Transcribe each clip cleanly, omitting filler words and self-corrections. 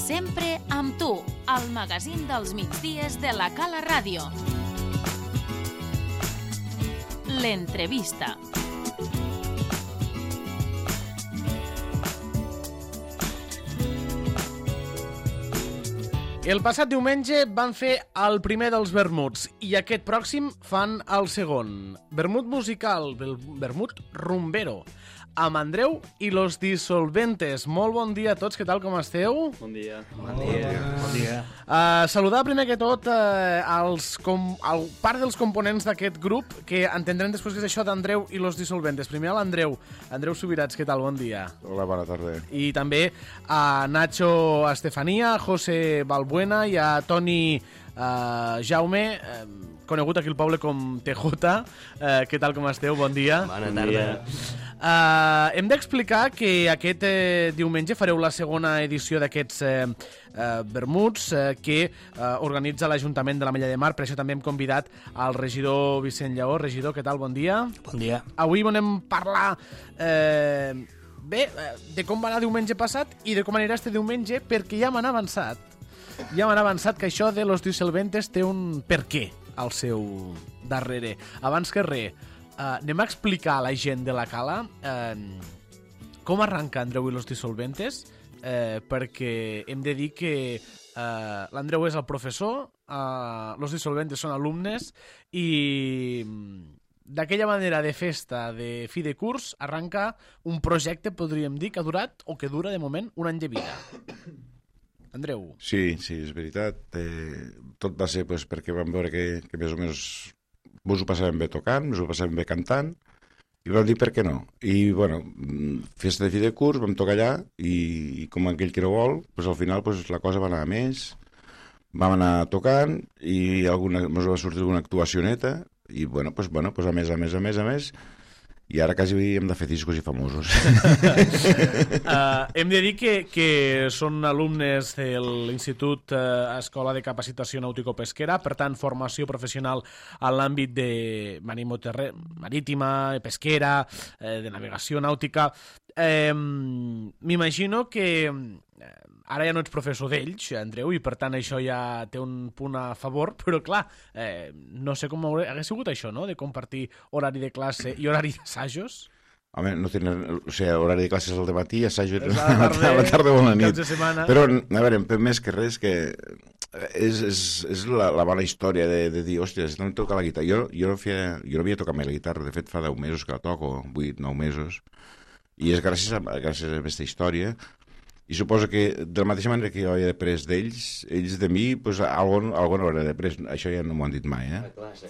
Sempre amb tu, al magazín dels migdies de la Cala Ràdio. L'entrevista. El passat diumenge van fer el primer dels vermuts i aquest pròxim fan el segon. Vermut musical, vermut rumbero, amb Andreu i los Dissolventes. Molt bon dia a tots, què tal, com esteu? Bon dia. Bon dia. Saludar primer que tot part dels components d'aquest grup, que entendrem després que és això d'Andreu i los Dissolventes. Primer a l'Andreu. Andreu Subirats, què tal? Bon dia. Hola, bona tarda. I també a Nacho Estefania, a José Balbuena i a Toni Jaume, conegut aquí al poble com TJ. Què tal, com esteu? Bon dia. Bona tarda. Hem d'explicar que aquest diumenge fareu la segona edició d'aquests vermuts que organitza l'Ajuntament de l'Ametlla de Mar. Per això també hem convidat al regidor Vicent Lleó. Regidor, què tal? Bon dia. Bon dia. Avui volem parlar de com va anar diumenge passat i de com anirà este diumenge, perquè ja m'han avançat. Que això de los Dissolventes té un per què al seu darrere. Abans que res, anem a explicar a la gent de la Cala com arranca Andreu i los Dissolventes, perquè hem de dir que l'Andreu és el professor, los Dissolventes són alumnes i d'aquella manera de festa, de fi de curs, arranca un projecte, podríem dir, que ha durat o que dura de moment un any de vida. Andreu. Sí, és veritat. Tot va ser perquè vam veure que més o menys vos ho passàvem bé tocant, vos ho passàvem bé cantant, i vam dir per què no. I, bueno, festa de fi de curs, vam tocar allà, i com aquell que no vol, al final la cosa va anar a més, vam anar tocant, i ens va sortir alguna actuacioneta, i, bueno, a més, i ara quasi hem de fer discos i famosos. Hem de dir que són alumnes de l'Institut Escola de Capacitació Nàutico-Pesquera, per tant, formació professional en l'àmbit de marítima, pesquera, de navegació nàutica. M'imagino que ara ja no ets professor d'ells, Andreu, i per tant això ja té un punt a favor, però clar, no sé com hagués sigut això, no?, de compartir horari de classe i horari d'assajos. Home, no tenen... O sigui, horari de classes al dematí, assajo a la tarda o a la nit. Però, a veure, més que res, que és la bona història de dir, hòstia, no em toca la guitarra. Jo no havia tocat mai la guitarra, de fet fa 10 mesos que la toco, 8-9 mesos, i és gràcies a aquesta història. I suposo que, de la mateixa manera que jo havia après d'ells, ells de mi, alguna hora d'après. Això ja no m'ho han dit mai, eh? A classe.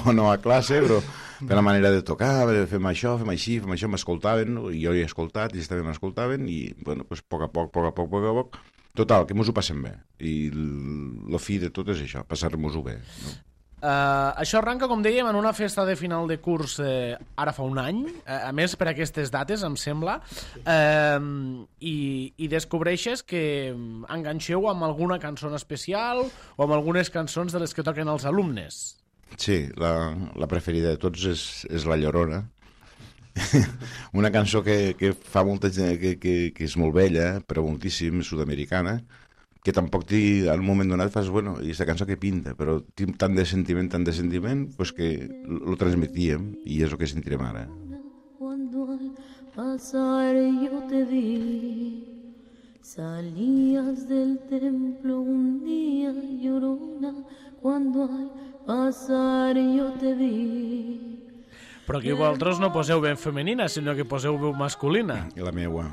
No a classe, però de la manera de tocar, fem això, fem així, m'escoltaven, i jo he escoltat, ells també m'escoltaven, i, bueno, a poc a poc, total, que mos ho passem bé. I el fi de tot és això, passar-nos-ho bé, no? Això arranca, com dèiem, en una festa de final de curs ara fa un any, a més per aquestes dates, em sembla, i descobreixes que enganxeu amb alguna cançó especial o amb algunes cançons de les que toquen els alumnes. Sí, la preferida de tots és La Llorona. Una cançó que fa molta gent, que és molt vella, però moltíssim, sud-americana, que tampoc en un moment donat fas, bueno, i aquesta cançó que pinta, però tinc tant de sentiment, pues que lo transmitíem, i és el que sentirem ara. Cuando al pasar yo te vi, salías del templo un día llorona, cuando al pasar yo te vi. Però aquí vosaltres no poseu veu femenina, sinó que poseu veu masculina. I la meua.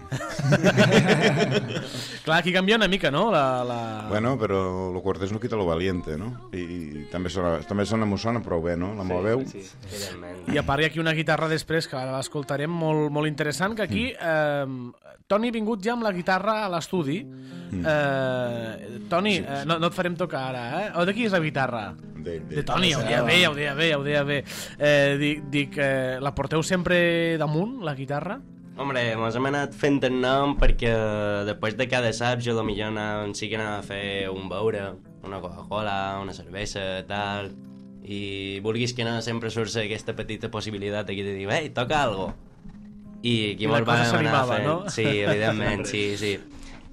Clar, aquí canvia una mica, no? Bueno, però lo cortés no quita lo valiente, no? I també sona prou bé, no? La meva veu. Sí, evidentment. I a part hi ha aquí una guitarra després, que ara l'escoltarem, molt interessant, que aquí Toni ha vingut ja amb la guitarra a l'estudi. Toni, no et farem tocar ara, eh? O de qui és la guitarra? De Toni, ja ho deia bé. Dic, la porteu sempre damunt, la guitarra? Hombre, mos hem anat fent el nom perquè després de cada saps jo potser sí que anava a fer un beure, una Coca-Cola, una cervesa, tal, i vulguis que no sempre surt aquesta petita possibilitat aquí de dir, ei, toca algo. i aquí I la mos cosa vam anar s'animava, fent. no? Sí, evidentment, sí.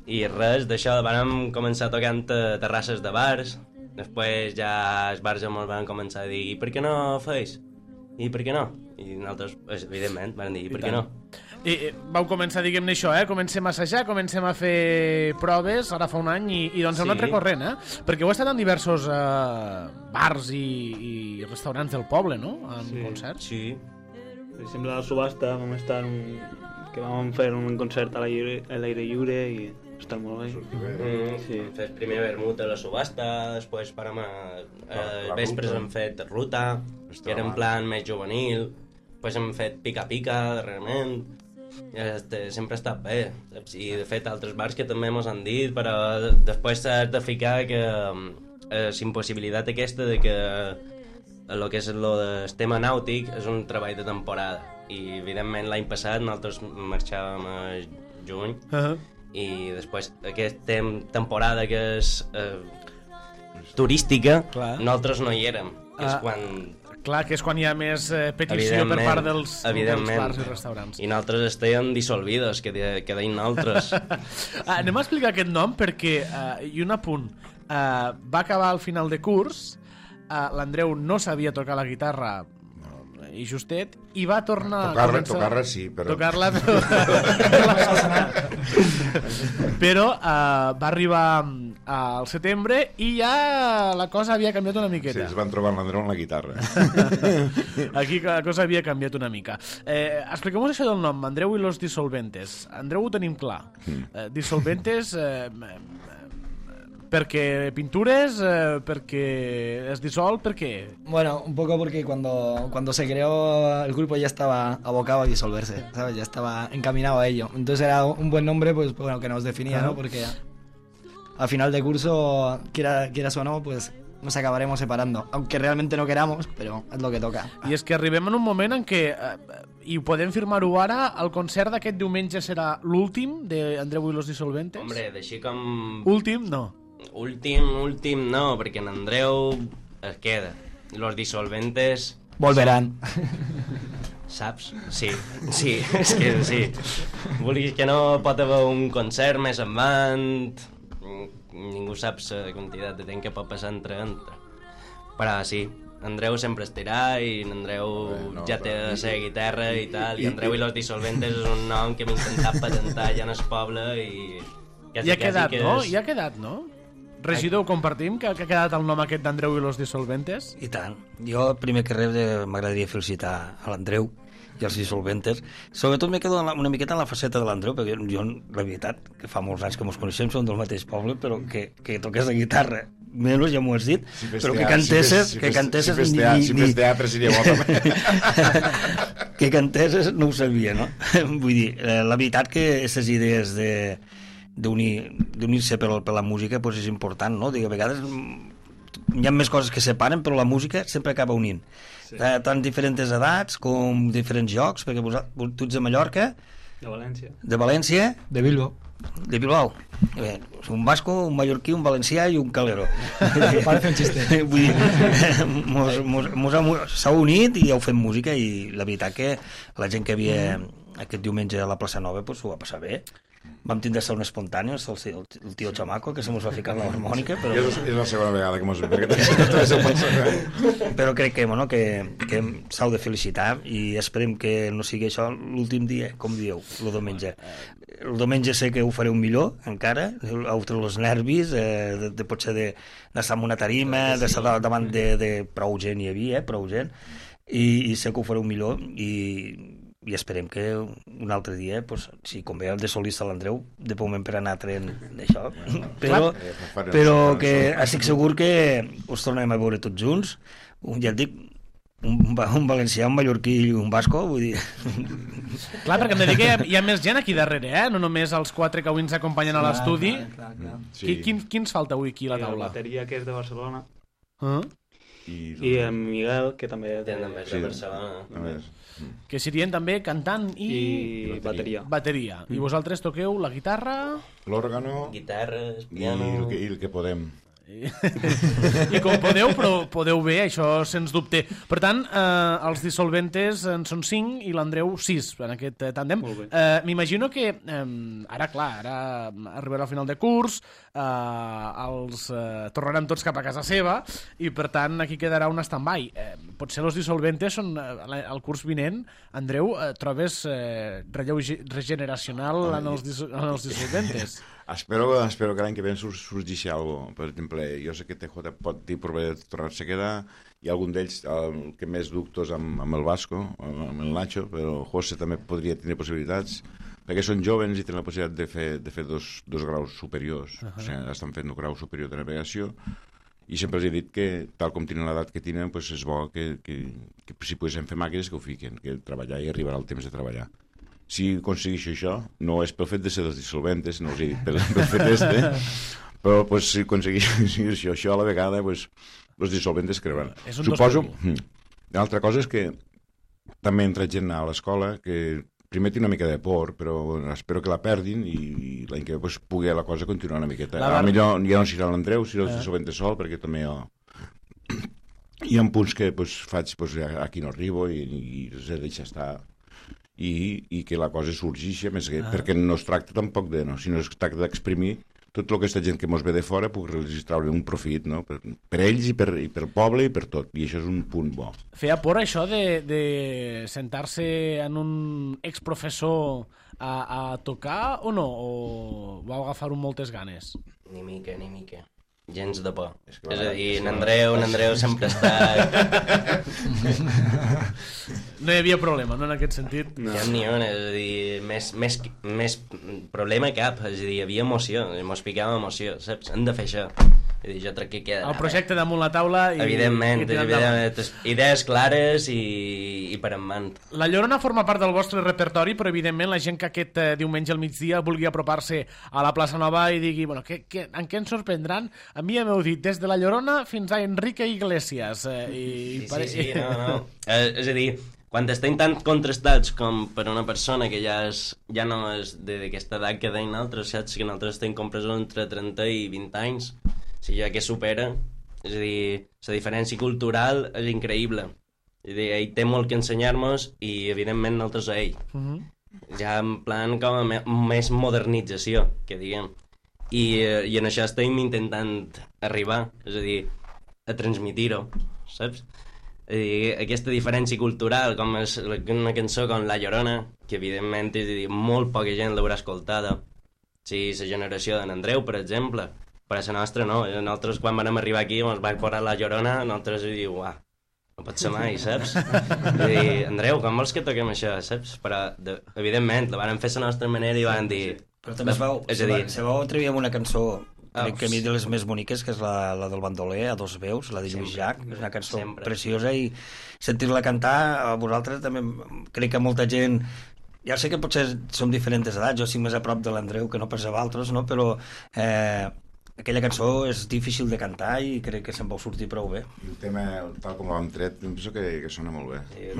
I res, d'això vam començar tocant a terrasses de bars, després ja els bars ja mos van començar a dir i per què no feis? I per què no? I nosaltres, evidentment, van dir i per què no? I vau començar, diguem-ne això, comencem a assajar, comencem a fer proves, ara fa un any, i doncs hem anat recorrent, perquè heu estat en diversos bars i restaurants del poble, no?, en concerts. Sí. Per exemple, a la subhasta vam estar que vam fer un concert a l'aire lliure i està molt bé. Sí. Hem fet primer vermut a la subhasta, després vespres hem fet ruta, que era en plan més juvenil, després hem fet pica-pica darrerament, sempre ha estat bé. I de fet altres bars que també mos han dit, però després s'ha de ficar que la impossibilitat aquesta de que el que és el tema nàutic és un treball de temporada, i evidentment l'any passat nosaltres marxàvem a juny, i després aquesta temporada que és turística, nosaltres no hi érem, que és quan... Clar, que és quan hi ha més petició per part dels bars i restaurants. I nosaltres estèiem dissolvidos, que deien nosaltres. Anem a explicar aquest nom perquè, i un apunt, va acabar al final de curs, l'Andreu no sabia tocar la guitarra i justet, i va tornar tocar-la sí, però... Tocar-la, però va arribar al setembre i ja la cosa havia canviat una miqueta. Sí, es van trobar l'Andreu en la guitarra. Aquí la cosa havia canviat una mica. Expliquem-nos això del nom, Andreu i los Dissolventes. Andreu ho tenim clar. Dissolventes... ¿Porque pintures? ¿Porque es disol? ¿Por qué? Bueno, un poco porque cuando se creó el grupo ya estaba abocado a disolverse, ¿sabes? Ya estaba encaminado a ello. Entonces era un buen nombre, pues bueno, que nos definía, ¿no? Porque al final de curso, quieras o no, pues nos acabaremos separando. Aunque realmente no queramos, pero es lo que toca. I és que arribem en un moment en què, i ho podem firmar-ho ara, el concert d'aquest diumenge serà l'últim d'Andreu i los Dissolventes? Hombre, d'així com... Últim, no. Últim no, perquè en Andreu es queda. Los Dissolventes... Volverán. Saps? Sí, és que sí. Vulguis que no, pot haver un concert més endavant, ningú sap la quantitat de temps que pot passar entre. Però sí, Andreu sempre estirà i Andreu ja té la seva guitarra i tal, i Andreu i los Dissolventes és un nom que hem intentat patentar ja en el poble i... I ha quedat, no? Regidor, ho compartim, que ha quedat el nom aquest d'Andreu i los Dissolventes? I tant. Jo, primer que res, m'agradaria felicitar a l'Andreu i els Dissolventes. Sobretot me quedo una miqueta en la faceta de l'Andreu, perquè jo, la veritat, que fa molts anys que ens coneixem, som del mateix poble, però que toqués la guitarra, menys ja m'ho has dit, però que cantesses... Si fes teatre seria bo també. Que cantesses no ho sabia, no? Vull dir, la veritat que aquestes idees d'unir-se per la música pues és important, no? A vegades hi ha més coses que separen, però la música sempre acaba unint. Sí. Tant diferents edats com diferents llocs, perquè tu ets de Mallorca, de València, de Bilbao. De Bilbao. Un basco, un mallorquí, un valencià i un calero. Parece un xiste. Vull dir, s'ha unit i heu fet música, i la veritat que la gent que havia aquest diumenge a la plaça Nova pues, ho va passar bé. Vam tindre un espontani, el tio Chamaco, que se mos va ficar en l'harmònica, però... És la segona vegada que mos ve, però crec que s'heu de felicitar i esperem que no sigui això l'últim dia, com dieu, el diumenge. El diumenge sé que ho fareu millor, encara, heu tret els nervis, potser d'estar en una tarima, d'estar davant de prou gent hi havia, prou gent, i sé que ho fareu millor, i esperem que un altre dia, pues, si com ve el de solista l'Andreu, de moment per anar traient d'això, però que estic segur que us tornarem a veure tots junts, ja et dic, un valencià, un mallorquí i un basco, vull dir... Clar, perquè em de dir que hi ha més gent aquí darrere, no només els 4 que avui ens acompanyen a l'estudi. Sí. Qui ens falta avui aquí a la taula? La bateria, que és de Barcelona. I en Miguel, que també és de Barcelona. Que serien també cantant i bateria. I vosaltres toqueu la guitarra... L'òrgano... Guitarres, piano... I el que podem. I com podeu, però podeu bé, això sens dubte. Per tant, els dissolventes en són 5 i l'Andreu 6 en aquest tàndem. M'imagino que ara arribarà al final de curs, els tornarem tots cap a casa seva i per tant aquí quedarà un stand-by. Potser els dissolventes són el curs vinent. Andreu, trobes relleu regeneracional en els dissolventes? Espero que l'any que ve sorgeixi alguna cosa. Per exemple, jo sé que TJ pot dir provar de tornar-se a quedar, hi ha algun d'ells que més dubtos amb el Vasco, amb el Nacho, però José també podria tenir possibilitats, perquè són joves i tenen la possibilitat de fer dos graus superiors, o sigui, estan fent un grau superior de navegació, i sempre els he dit que, tal com tenen l'edat que tenen, doncs és bo que si poguessin fer màquines que ho fiquen, que treballar i arribarà el temps de treballar. Si aconsegueixo això, no és pel fet de ser dels dissolventes, no us he dit pel fet però pues, si aconsegueixo això a la vegada, pues, els dissolventes creuran. Suposo, una altra cosa és que també entra gent a l'escola que primer té una mica de por, però espero que la perdin i l'any que ve pues, pugui la cosa continuar una miqueta. Millor ja no serà l'Andreu, serà els dissolventes sol, perquè també hi ha punts que pues, faig pues, aquí no arribo i els he de deixar estar. I que la cosa sorgeixi, més que perquè no es tracta tampoc de, sinó es tracta d'exprimir tot el que aquesta gent que mos ve de fora pugui registrar un profit, no? Per ells i pel poble i per tot, i això és un punt bo. Feia por això de sentar-se en un exprofessor a tocar o no? O vau agafar-ho amb moltes ganes? Ni mica. Gens de por. És a dir, n'Andreu sempre està... No hi havia problema, no, en aquest sentit? No. Ni un, és a dir, més problema cap, és a dir, hi havia emoció, mos picava emoció, saps? Hem de fer això. És a dir, jo crec que queda... El projecte damunt la taula i... Evidentment, idees clares i per en mant. La Llorona forma part del vostre repertori, però evidentment la gent que aquest diumenge al migdia vulgui apropar-se a la plaça Nova i digui, bueno, en què ens sorprendran? A mi ja m'heu dit, des de la Llorona fins a Enrique Iglesias. Sí, no. És a dir, quan estem tan contrastats com per una persona que ja no és d'aquesta edat que deien altres, saps? Que nosaltres estem compresos entre 30 i 20 anys, si ja que supera, és a dir, la diferència cultural és increïble. És a dir, ell té molt que ensenyar-nos i evidentment nosaltres a ell. Ja en plan com a més modernització, que diguem. I en això estem intentant arribar, és a dir, a transmitir-ho, saps? És a dir, aquesta diferència cultural, com és una cançó com La Llorona, que evidentment és a dir, molt poca gent l'haurà escoltada. Si la generació d'en Andreu, per exemple, però la nostra no. Nosaltres quan vam arribar aquí ens va posar La Llorona, nosaltres diu, uah, no pot ser mai, saps? És a dir, Andreu, com vols que toquem això, saps? Però, evidentment, la van fer la nostra manera i van dir... Però també se vau atrevir amb una cançó, crec que a mi de les més boniques, que és la del bandoler, a dos veus, la de Lluís Llach, és una cançó preciosa, i sentir-la cantar, a vosaltres també, crec que molta gent... Ja sé que potser som diferents edats, jo estic més a prop de l'Andreu que no pas a vosaltres, no? Però aquella cançó és difícil de cantar i crec que se'n vau sortir prou bé. I el tema, tal com l'hem tret, em penso que sona molt bé. Sí,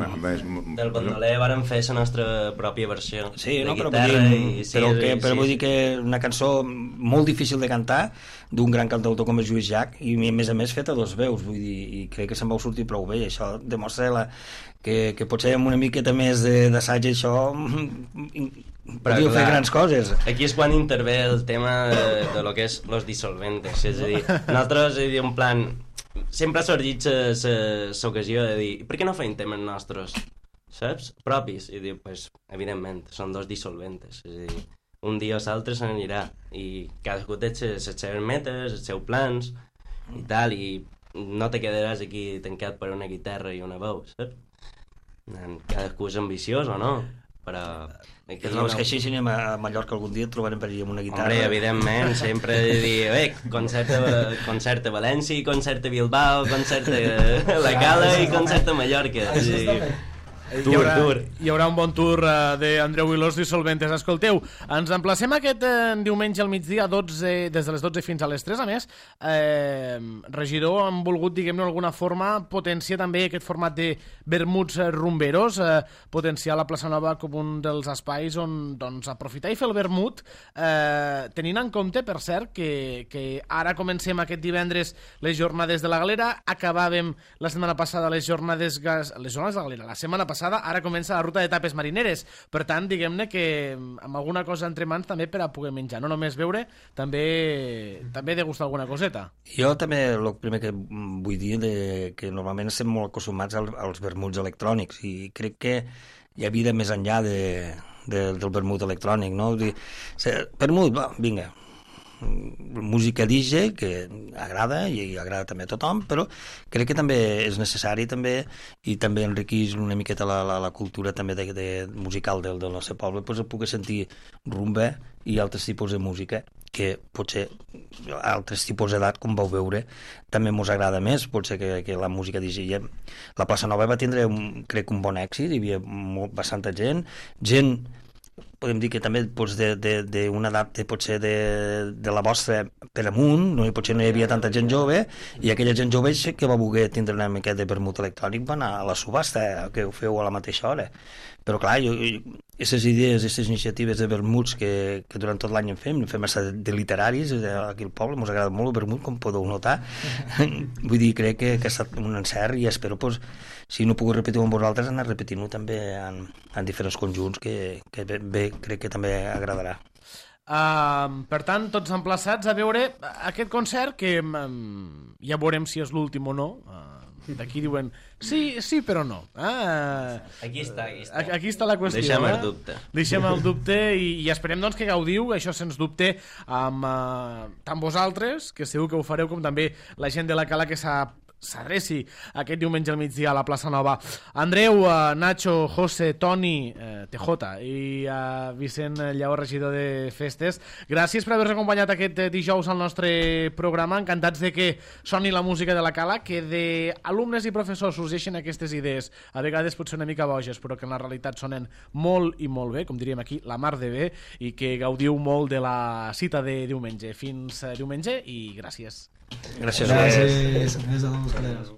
del bandoler vàrem fer la nostra pròpia versió. Sí, no, però vull dir que una cançó molt difícil de cantar, d'un gran cantautor com és Lluís Llach, i a més feta a dos veus, vull dir, i crec que se'n vau sortir prou bé, i això demostra que potser amb una miqueta més d'assaig això podíeu fer grans coses. Aquí és quan intervé el tema de lo que és los dissolventes, és a dir, nosaltres en plan sempre ha sorgit l'ocasió de dir, per què no feim temes nostres, saps? Propis, i dir, pues, evidentment, són dos dissolventes, és a dir, un dia o l'altre se n'anirà i cadascú té les seves metes, els seus plans i tal, i no te quedaràs aquí tancat per una guitarra i una veu, saps? Cadascú és ambiciós o no, però... És que així si anem a Mallorca algun dia trobarem per allà amb una guitarra. Hombre, evidentment, sempre dir, concert a València, concert a Bilbao, concert a la Cala i concert a Mallorca. Hi haurà un bon tour d'Andreu i los Dissolventes. Escolteu, ens emplacem aquest diumenge al migdia des de les 12 fins a les 3. A més, regidor, han volgut, diguem-ne, d'alguna forma potenciar també aquest format de vermuts rumberos, potenciar la plaça Nova com un dels espais on doncs, aprofitar i fer el vermut, tenint en compte, per cert, que ara comencem aquest divendres les jornades de la Galera, acabàvem la setmana passada les jornades de la Galera, la setmana passada, ara comença la ruta de tapes marineres. Per tant, diguem-ne que amb alguna cosa entre mans també per a poder menjar, no només beure, també degustar alguna coseta. Jo també el primer que vull dir que normalment estem molt acostumats als vermuts electrònics i crec que hi ha vida més enllà del vermut electrònic, no? Vermut, vinga, música DJ que agrada i agrada també a tothom, però crec que també és necessari també i també enriqueix una miqueta la cultura també musical del nostre poble, pues pugui sentir rumba i altres tipus de música que potser altres tipus d'edat, com vau veure, també mos agrada més, potser que la música DJ. La plaça Nova va tindre, crec, un bon èxit, hi havia bastanta gent, podem dir que també d'una edat potser de la vostra per amunt, potser no hi havia tanta gent jove, i aquella gent jove que va voler tindre una mica de vermut electrònic va anar a la subhasta, que ho feu a la mateixa hora. Però clar, aquestes idees, aquestes iniciatives de vermuts que durant tot l'any en fem de literaris aquí al poble, ens agrada molt el vermut, com podeu notar. Vull dir, crec que ha estat un encert i espero, si no puc repetir-ho amb vosaltres, anar repetint-ho també en diferents conjunts que bé, crec que també agradarà. Per tant, tots emplaçats a veure aquest concert que ja veurem si és l'últim o no. D'aquí diuen sí però no. Aquí està. Aquí està la qüestió. Deixem el dubte. Deixem el dubte i esperem doncs que gaudiu, això sens dubte, amb tant vosaltres, que segur que ho fareu, com també la gent de la Cala que s'adreci aquest diumenge al migdia a la plaça Nova. Andreu, Nacho, José, Toni, TJ i Vicent Lleó, regidor de Festes, gràcies per haver-nos acompanyat aquest dijous al nostre programa. Encantats de que soni la música de la Cala, que d'alumnes i professors sorgeixen aquestes idees, a vegades potser una mica boges, però que en la realitat sonen molt i molt bé, com diríem aquí, la mar de bé, i que gaudiu molt de la cita de diumenge. Fins diumenge i gràcies. Gràcies. Gràcies a tots.